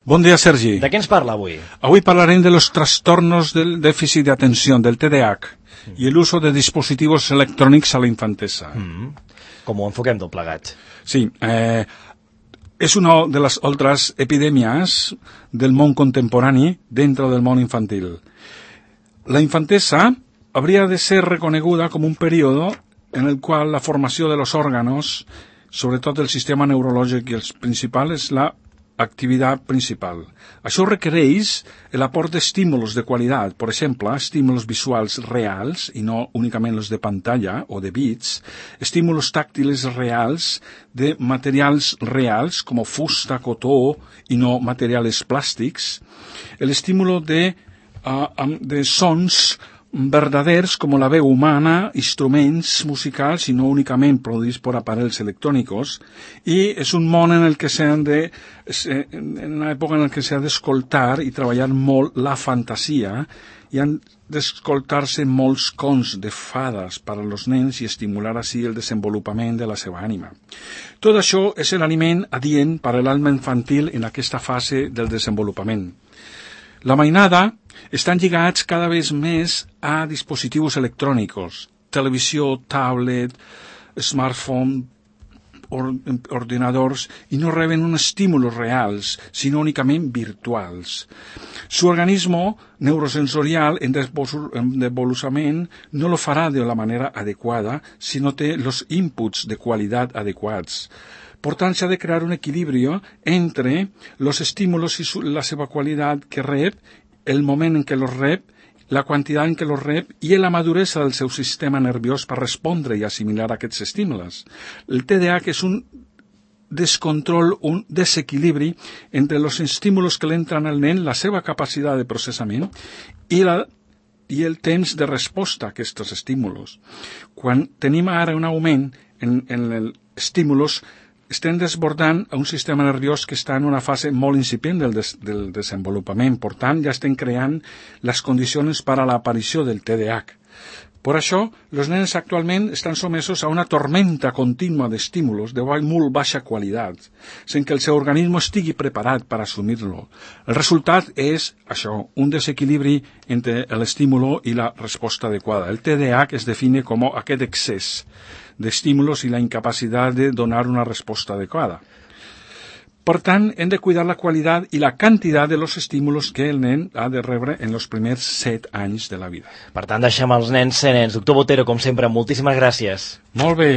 Bon dia, Sergi. De què ens parla avui? Avui parlarem de los trastornos del déficit de atención, del TDAH, y el uso de dispositivos electrònics a la infantesa. Com ho enfoquem tot plegat? Sí, es una de las otras epidemias del món contemporani dentro del món infantil. La infantesa habría de ser reconeguda como un periodo en el cual la formació de los órganos, sobretot el sistema neurològic i els principals, és la activitat principal. Això requereix l'aport d'estímulos de qualitat, per exemple, estímulos visuals reals, i no únicament els de pantalla o de bits, estímulos tàctiles reals de materials reals, com fusta, cotó, i no materials plàstics, l'estímulo de sons verdaders com la veu humana, instruments musicals i no únicament produïts per aparells electrònics, i és un món en el que en una època en què s'ha d'escoltar i treballar molt la fantasia, i han d'escoltar-se molts conts de fades per als nens i estimular així el desenvolupament de la seva ànima. Tot això és l'aliment adient per a l'alma infantil en aquesta fase del desenvolupament. La mainada estan lligats cada vegada més a dispositius electrònics, televisió, tablet, smartphone, ordinadors, i no reben uns estímulos reals, sinó únicament virtuals. Su organismo neurosensorial en desenvolupament no lo farà de la manera adequada si no té los inputs de qualitat adequats. Per tant, s'ha de crear un equilibri entre los estímulos i la seva qualitat que rep, el moment en què los rep, la quantitat en què los rep i la maduresa del seu sistema nerviós per respondre i assimilar aquests estímulos. El TDAH és un descontrol, un desequilibri entre els estímulos que l'entren al nen, la seva capacitat de processament i el temps de resposta a aquests estímulos. Quan tenim ara un augment en els estímulos, estem desbordant a un sistema nerviós que està en una fase molt incipient del desenvolupament. Per tant, ja estem creant les condicions per a l'aparició del TDAH. Per això, els nens actualment estan sotmesos a una tormenta contínua d'estímulos de molt baixa qualitat, sense que el seu organisme estigui preparat per assumir-lo. El resultat és això, un desequilibri entre l'estímulo i la resposta adequada. El TDAH es define com aquest excés d'estímulos i la incapacitat de donar una resposta adequada. Per tant, hem de cuidar la qualitat i la quantitat de los estímulos que el nen ha de rebre en els primers 7 anys de la vida. Per tant, deixem els nens ser nens. Doctor Botero, com sempre, moltíssimes gràcies. Molt bé.